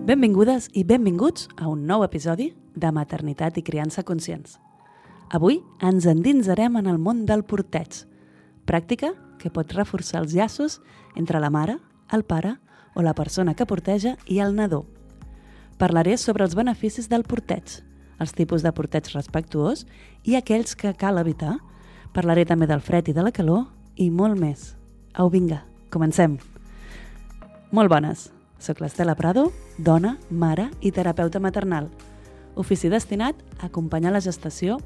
Benvingudes i benvinguts a un nou episodi de Maternitat i Criança Conscients. Avui ens endinsarem en el món del porteig, pràctica que pot reforçar els llaços entre la mare, el pare o la persona que porteja i el nadó. Parlaré sobre els beneficis del porteig, els tipus de porteig respectuós i aquells que cal evitar. Parlaré també del fred i de la calor i molt més. Au, vinga, comencem. Molt bones. Soc l'Estela Prado, dona, mare i terapeuta maternal. Ofici destinat a acompanyar la gestació,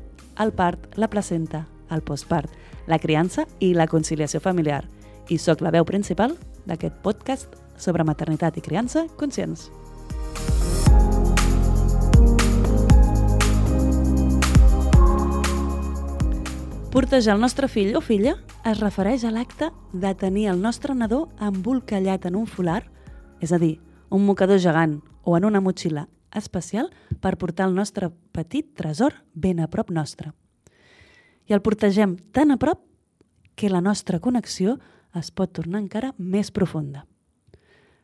el part, la placenta, el postpart, la criança i la conciliació familiar. I soc la veu principal d'aquest podcast sobre maternitat i criança conscients. Portejar el nostre fill o filla es refereix a l'acte de tenir el nostre nadó embolcallat en un folar, és a dir, un mocador gegant o en una motxilla especial per portar el nostre petit tresor ben a prop nostre. I el portegem tan a prop que la nostra connexió es pot tornar encara més profunda.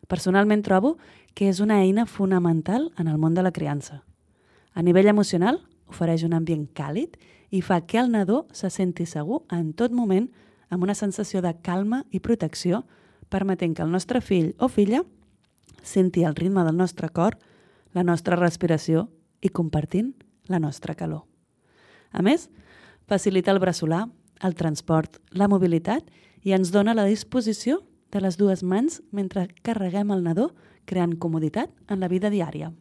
Personalment trobo que és una eina fonamental en el món de la criança. A nivell emocional, ofereix un ambient càlid i fa que el nadó se senti segur en tot moment amb una sensació de calma i protecció, permetent que el nostre fill o filla senti el ritme del nostre cor, la nostra respiració i compartint la nostra calor. A més, facilita el braçolar, el transport, la mobilitat i ens dona la disposició de les dues mans mentre carreguem el nadó, creant comoditat en la vida diària.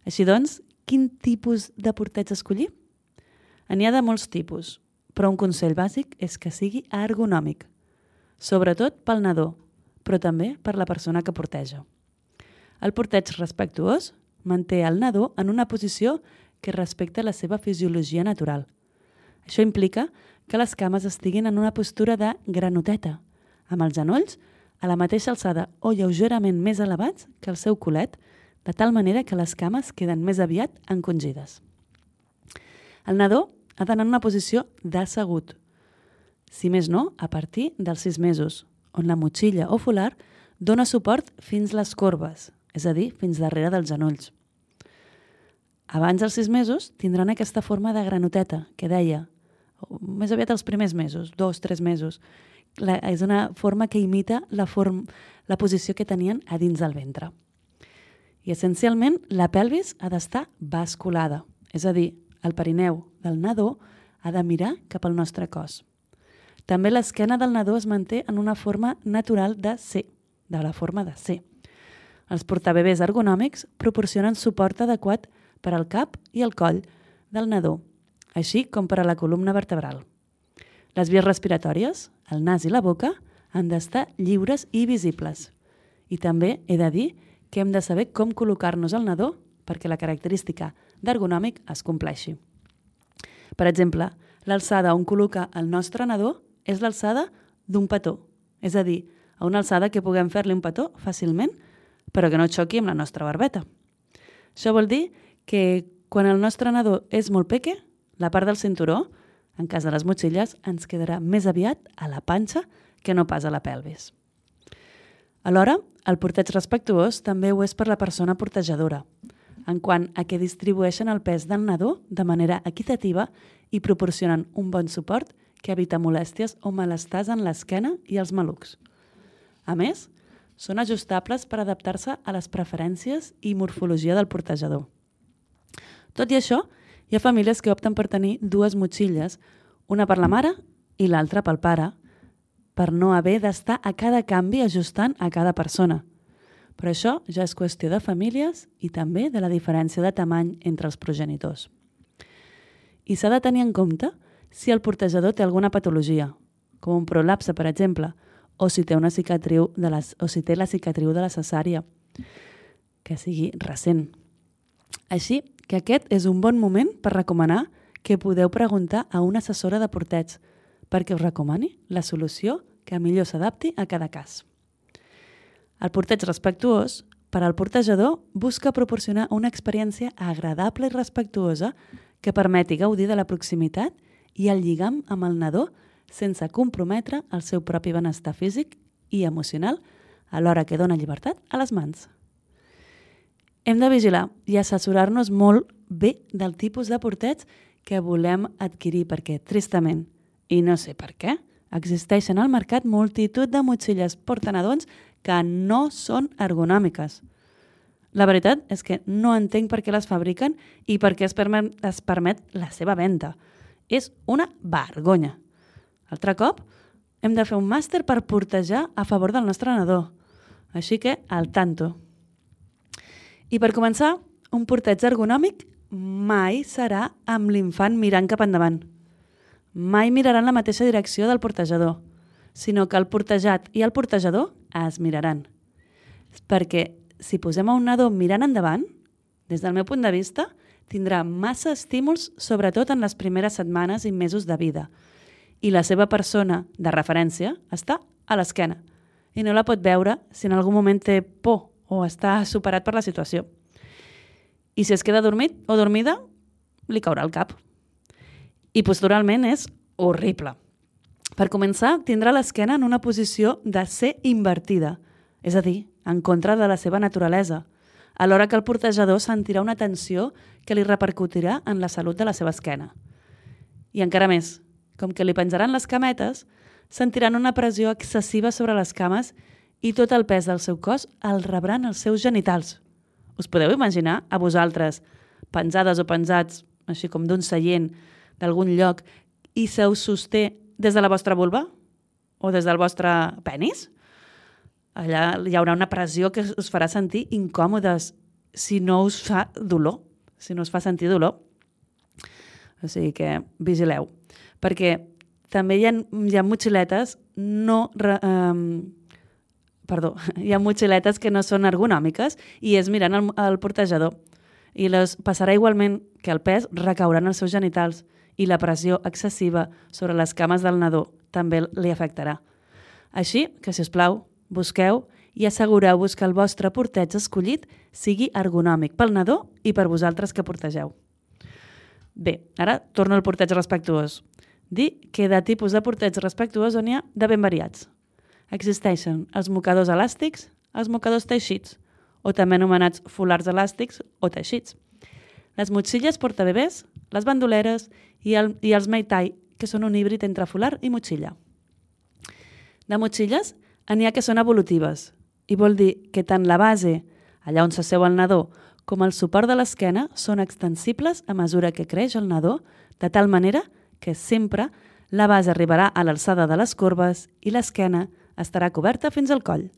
Així doncs, quin tipus de porteig escollir? N'hi ha de molts tipus, però un consell bàsic és que sigui ergonòmic, sobretot pel nadó, però també per la persona que porteja. El porteig respectuós manté el nadó en una posició que respecta la seva fisiologia natural. Això implica que les cames estiguin en una postura de granoteta, amb els genolls a la mateixa alçada o lleugerament més elevats que el seu culet, de tal manera que les cames queden més aviat encongides. El nadó ha d'anar en una posició d'assegut, si més no, a partir dels 6 mesos, on la motxilla o folar dona suport fins les corbes, és a dir, fins darrere dels genolls. Abans dels 6 mesos tindran aquesta forma de granoteta, que deia, més aviat els primers mesos, 2-3 mesos. És una forma que imita la posició que tenien a dins del ventre. I essencialment la pelvis ha d'estar basculada, és a dir, el perineu del nadó ha de mirar cap al nostre cos. També l'esquena del nadó es manté en una forma natural de C, de la forma de C. Els portabebès ergonòmics proporcionen suport adequat per al cap i el coll del nadó, així com per a la columna vertebral. Les vies respiratòries, el nas i la boca, han d'estar lliures i visibles. I també he de dir que hem de saber com col·locar-nos al nadó perquè la característica d'ergonòmic es compleixi. Per exemple, l'alçada on col·loca el nostre nadó és l'alçada d'un petó, és a dir, a una alçada que puguem fer-li un petó fàcilment, però que no xoqui amb la nostra barbeta. Això vol dir que quan el nostre nadó és molt peque, la part del cinturó, en cas de les motxilles, ens quedarà més aviat a la panxa que no pas a la pelvis. Alhora, el porteig respectuós també ho és per la persona portejadora, en quant a que distribueixen el pes del nadó de manera equitativa i proporcionen un bon suport que evita molèsties o malestars en l'esquena i els malucs. A més, són ajustables per adaptar-se a les preferències i morfologia del portejador. Tot i això, hi ha famílies que opten per tenir 2 motxilles, una per la mare i l'altra pel pare, per no haver d'estar a cada canvi ajustant a cada persona. Però això ja és qüestió de famílies i també de la diferència de tamany entre els progenitors. I s'ha de tenir en compte si el portejador té alguna patologia, com un prolapse, per exemple, o si té la cicatriu de la cesària, que sigui recent. Així que aquest és un bon moment per recomanar que podeu preguntar a una assessora de porteig perquè us recomani la solució que millor s'adapti a cada cas. El porteig respectuós, per al portejador, busca proporcionar una experiència agradable i respectuosa que permeti gaudir de la proximitat i el lligam amb el nadó sense comprometre el seu propi benestar físic i emocional alhora que dona llibertat a les mans. Hem de vigilar i assessorar-nos molt bé del tipus de porteig que volem adquirir, perquè, tristament, i no sé per què, existeixen al mercat multitud de motxilles portanadons que no són ergonòmiques. La veritat és que no entenc per què les fabriquen i per què es permet la seva venda. És una vergonya. Altre cop, hem de fer un màster per portejar a favor del nostre nadó. Així que, al tanto. I per començar, un porteig ergonòmic mai serà amb l'infant mirant cap endavant. Mai miraran la mateixa direcció del portejador, sinó que el portejat i el portejador es miraran. Perquè si posem a un nadó mirant endavant, des del meu punt de vista, tindrà massa estímuls, sobretot en les primeres setmanes i mesos de vida. I la seva persona de referència està a l'esquena i no la pot veure si en algun moment té por o està superat per la situació. I si es queda dormit o dormida, li caurà el cap. I posturalment és horrible. Per començar, tindrà l'esquena en una posició de ser invertida, és a dir, en contra de la seva naturalesa, alhora que el portejador sentirà una tensió que li repercutirà en la salut de la seva esquena. I encara més, com que li penjaran les cametes, sentiran una pressió excessiva sobre les cames i tot el pes del seu cos el rebran els seus genitals. Us podeu imaginar a vosaltres, penjades o penjats, així com d'un seient, d'algun lloc, i se us sosté des de la vostra vulva? O des del vostre penis? Allà hi haurà una pressió que us farà sentir incòmodes si no us fa dolor, si no us fa sentir dolor. O sigui que vigileu. Perquè també hi ha motxiletes hi ha motxiletes que no són ergonòmiques i és mirant el portejador. I passarà igualment que el pes recaurà en els seus genitals i la pressió excessiva sobre les cames del nadó també li afectarà. Així que, si us plau, busqueu i assegureu-vos que el vostre porteig escollit sigui ergonòmic pel nadó i per vosaltres que portegeu. Bé, ara torno al porteig respectuós. Dir que de tipus de porteig respectuós n'hi ha de ben variats. Existeixen els mocadors elàstics, els mocadors teixits, o també anomenats fulars elàstics o teixits. Les motxilles portabebès, les bandoleres i els meitai, que són un híbrid entre fular i motxilla. De motxilles n'hi ha que són evolutives, i vol dir que tant la base, allà on s'asseu el nadó, com el suport de l'esquena són extensibles a mesura que creix el nadó, de tal manera que sempre la base arribarà a l'alçada de les corbes i l'esquena estarà coberta fins al coll.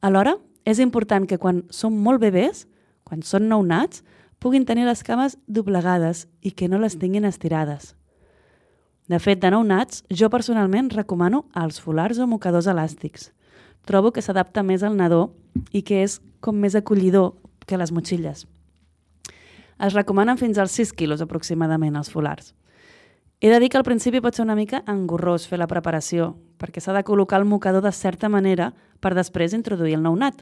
Alhora, és important que quan són molt bebès, quan són nounats, puguin tenir les cames doblegades i que no les tinguin estirades. De fet, de nounats, jo personalment recomano els fulars o mocadors elàstics. Trobo que s'adapta més al nadó i que és com més acollidor que les motxilles. Es recomanen fins als 6 quilos aproximadament els fulars. He de dir que al principi pot ser una mica engorrós fer la preparació, perquè s'ha de col·locar el mocador de certa manera per després introduir el nounat.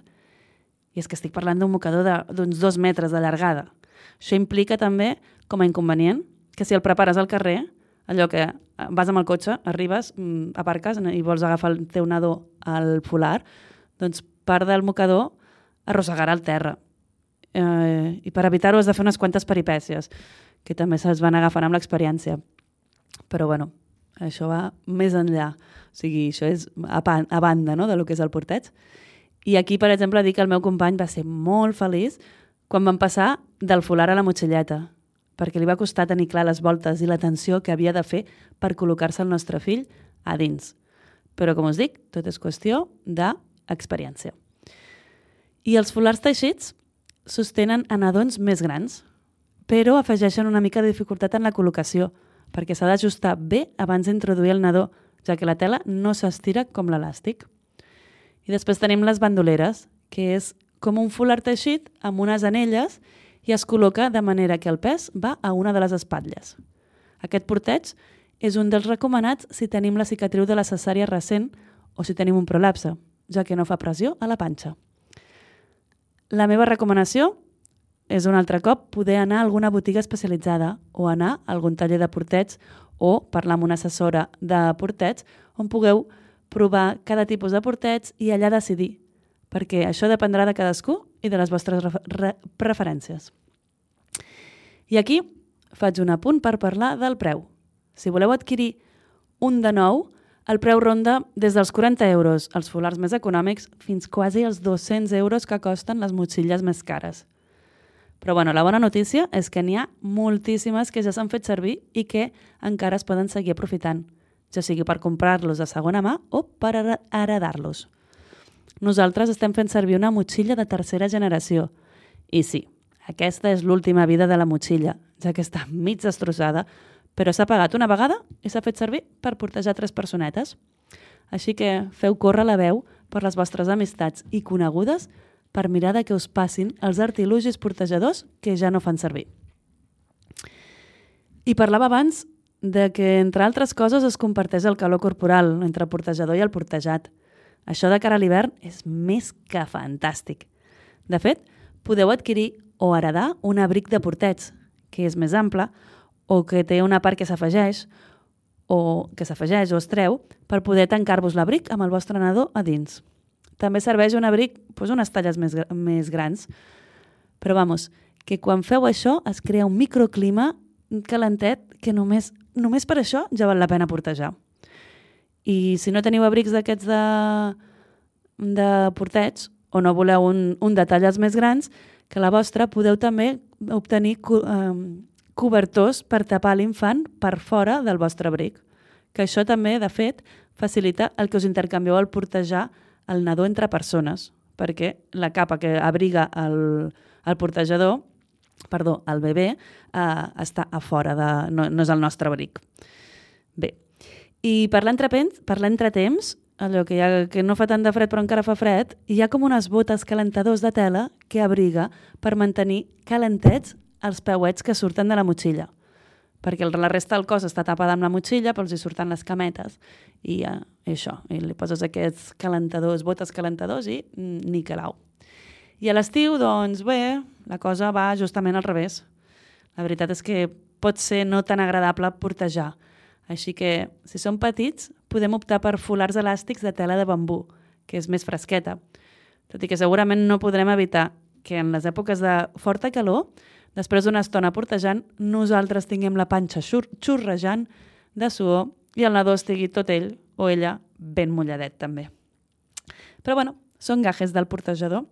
I és que estic parlant d'un mocador d'uns 2 metres de llargada. Això implica també, com a inconvenient, que si el prepares al carrer, allò que vas amb el cotxe, arribes, aparques i vols agafar el teu nadó al fular, doncs part del mocador arrossegarà el terra. I per evitar-ho has de fer unes quantes peripècies, que també se'ls van agafant amb l'experiència. Però bueno, això va més enllà. O sigui, això és a banda, no?, del que és el porteig. I aquí, per exemple, dic que el meu company va ser molt feliç quan van passar del fular a la motxilleta, perquè li va costar tenir clar les voltes i l'atenció que havia de fer per col·locar-se el nostre fill a dins. Però, com us dic, tot és qüestió d'experiència. I els fulars teixits sostenen a nadons més grans, però afegeixen una mica de dificultat en la col·locació, perquè s'ha d'ajustar bé abans d'introduir el nadó, ja que la tela no s'estira com l'elàstic. I després tenim les bandoleres, que és com un fular teixit amb unes anelles i es col·loca de manera que el pes va a una de les espatlles. Aquest porteig és un dels recomanats si tenim la cicatriu de la cesària recent o si tenim un prolapse, ja que no fa pressió a la panxa. La meva recomanació és un altre cop poder anar a alguna botiga especialitzada o anar a algun taller de porteig o parlar amb una assessora de porteig on pugueu provar cada tipus de porteig i allà decidir, perquè això dependrà de cadascú i de les vostres preferències. I aquí faig un apunt per parlar del preu. Si voleu adquirir un de nou, el preu ronda des dels 40 euros als fulars més econòmics fins quasi als 200 euros que costen les motxilles més cares. Però la bona notícia és que n'hi ha moltíssimes que ja s'han fet servir i que encara es poden seguir aprofitant, ja sigui per comprar-los de segona mà o per heredar-los. Nosaltres estem fent servir una motxilla de tercera generació. I sí, aquesta és l'última vida de la motxilla, ja que està mig destrossada, però s'ha pagat una vegada i s'ha fet servir per portejar 3 personetes. Així que feu córrer la veu per les vostres amistats i conegudes per mirar de que us passin els artilugis portejadors que ja no fan servir. I parlava abans de que, entre altres coses, es comparteix el calor corporal entre el portejador i el portejat. Això de cara a l'hivern és més que fantàstic. De fet, podeu adquirir o heredar un abric de porteig, que és més ample, o que té una part que s'afegeix o es treu per poder tancar-vos l'abric amb el vostre nadó a dins. També serveix un abric unes talles més grans. Però que quan feu això es crea un microclima calentet que només per això ja val la pena portejar. I si no teniu abrics d'aquests de porteig o no voleu un de talles més grans, que la vostra podeu també obtenir cobertors per tapar l'infant per fora del vostre abric. Que això també, de fet, facilita el que us intercanvieu al portejar el nadó entre persones, perquè la capa que abriga el portejador, el bebè, està a fora, no és el nostre abric. Bé, i per l'entretemps, allò que no fa tant de fred però encara fa fred, hi ha com unes botes calentadors de tela que abriga per mantenir calentets els peuets que surten de la motxilla. Perquè la resta del cos està tapada amb la motxilla, però els hi surten les cametes. I això, i li poses aquests botes calentadors i ni calau. I a l'estiu, la cosa va justament al revés. La veritat és que pot ser no tan agradable portejar. Així que, si són petits, podem optar per fulars elàstics de tela de bambú, que és més fresqueta. Tot i que segurament no podrem evitar que en les èpoques de forta calor, després d'una estona portejant, nosaltres tinguem la panxa xurrejant de suor i el nadó estigui tot ell o ella ben mulladet també. Però són gajes del portejador.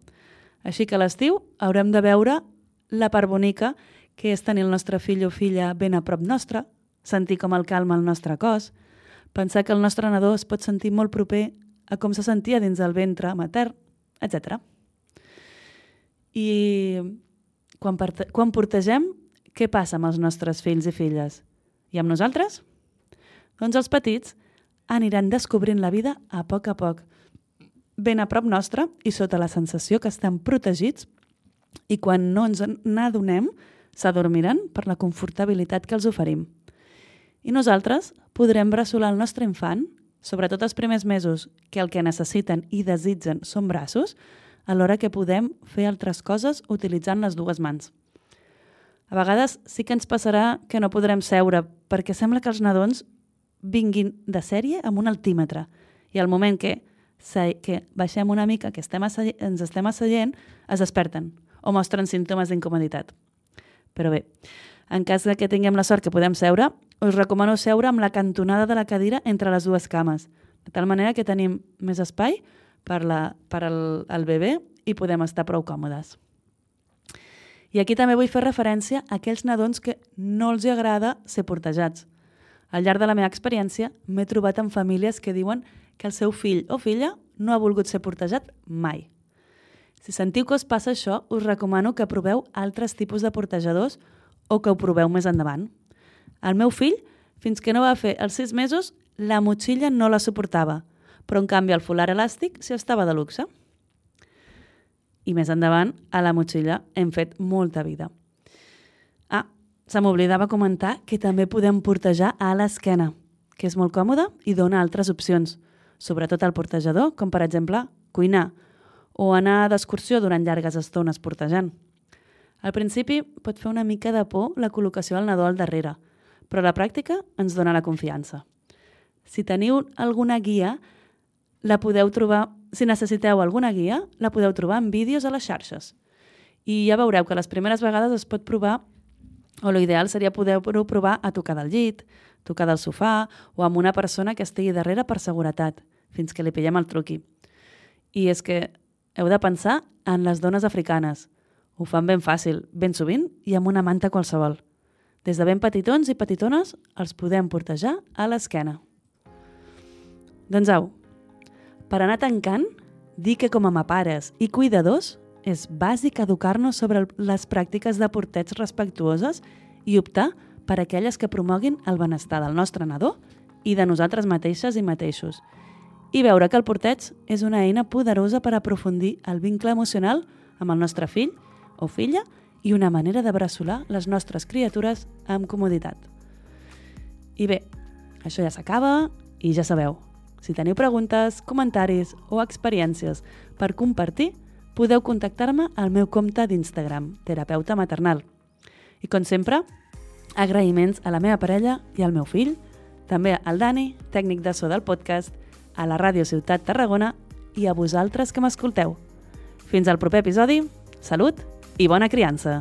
Així que a l'estiu haurem de veure la part bonica que és tenir el nostre fill o filla ben a prop nostre, sentir com el calma el nostre cos, pensar que el nostre nadó es pot sentir molt proper a com se sentia dins el ventre matern, etc. I quan portegem, què passa amb els nostres fills i filles? I amb nosaltres? Doncs els petits aniran descobrint la vida a poc, ben a prop nostre i sota la sensació que estan protegits i quan no ens n'adonem s'adormiran per la confortabilitat que els oferim. I nosaltres podrem bressolar el nostre infant, sobretot els primers mesos, que el que necessiten i desitgen són braços, alhora que podem fer altres coses utilitzant les dues mans. A vegades sí que ens passarà que no podrem seure perquè sembla que els nadons vinguin de sèrie amb un altímetre i al moment que baixem una mica, que ens estem asseient, es desperten o mostren símptomes d'incomoditat. Però bé, en cas que tinguem la sort que podem seure, us recomano seure amb la cantonada de la cadira entre les dues cames, de tal manera que tenim més espai per al bebè i podem estar prou còmodes. I aquí també vull fer referència a aquells nadons que no els agrada ser portejats. Al llarg de la meva experiència m'he trobat amb famílies que diuen que el seu fill o filla no ha volgut ser portejat mai. Si sentiu que us passa això, us recomano que proveu altres tipus de portejadors o que ho proveu més endavant. El meu fill, fins que no va fer els 6 mesos, la motxilla no la suportava, però en canvi el fular elàstic sí estava de luxe. I més endavant, a la motxilla hem fet molta vida. Se m'oblidava comentar que també podem portejar a l'esquena, que és molt còmode i dona altres opcions, sobretot al portejador, com per exemple cuinar o anar d'excursió durant llargues estones portejant. Al principi pot fer una mica de por la col·locació del nadó al darrere, però la pràctica ens dona la confiança. Si teniu alguna guia, si necessiteu alguna guia, la podeu trobar en vídeos a les xarxes. I ja veureu que les primeres vegades es pot provar, o l'ideal seria poder-ho provar a tocar del llit, tocar del sofà o amb una persona que estigui darrere per seguretat, fins que li pillem el truqui. I és que heu de pensar en les dones africanes. Ho fan ben fàcil, ben sovint i amb una manta qualsevol. Des de ben petitons i petitones els podem portejar a l'esquena. Doncs au, per anar tancant, dir que com a mapares i cuidadors és bàsic educar-nos sobre les pràctiques de porteig respectuoses i optar per aquelles que promoguin el benestar del nostre nadó i de nosaltres mateixes i mateixos. I veure que el porteig és una eina poderosa per aprofundir el vincle emocional amb el nostre fill o filla i una manera de bressolar les nostres criatures amb comoditat. I bé, això ja s'acaba i ja sabeu, si teniu preguntes, comentaris o experiències per compartir, podeu contactar-me al meu compte d'Instagram, terapeuta maternal. I com sempre, agraïments a la meva parella i al meu fill, també al Dani, tècnic de so del podcast, a la Ràdio Ciutat Tarragona i a vosaltres que m'escolteu. Fins al proper episodi, salut i bona criança!